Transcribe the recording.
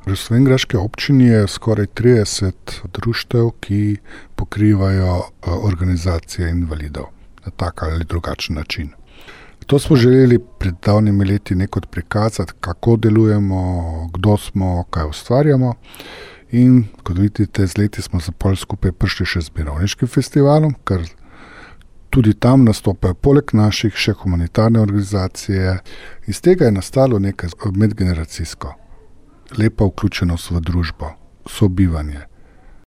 V Slovenjgraški občini je skoraj 30 društev, ki pokrivajo organizacije invalidov na tak ali drugačen način. To smo želeli pred davnimi leti nekod prikazati, kako delujemo, kdo smo, kaj ustvarjamo. In kot vidite, z leti smo se pol skupaj prišli še z mirovniškim festivalom, ker tudi tam nastopajo poleg naših še humanitarne organizacije. Iz tega je nastalo nekaj medgeneracijsko. Lepa vključenost v družbo, sobivanje.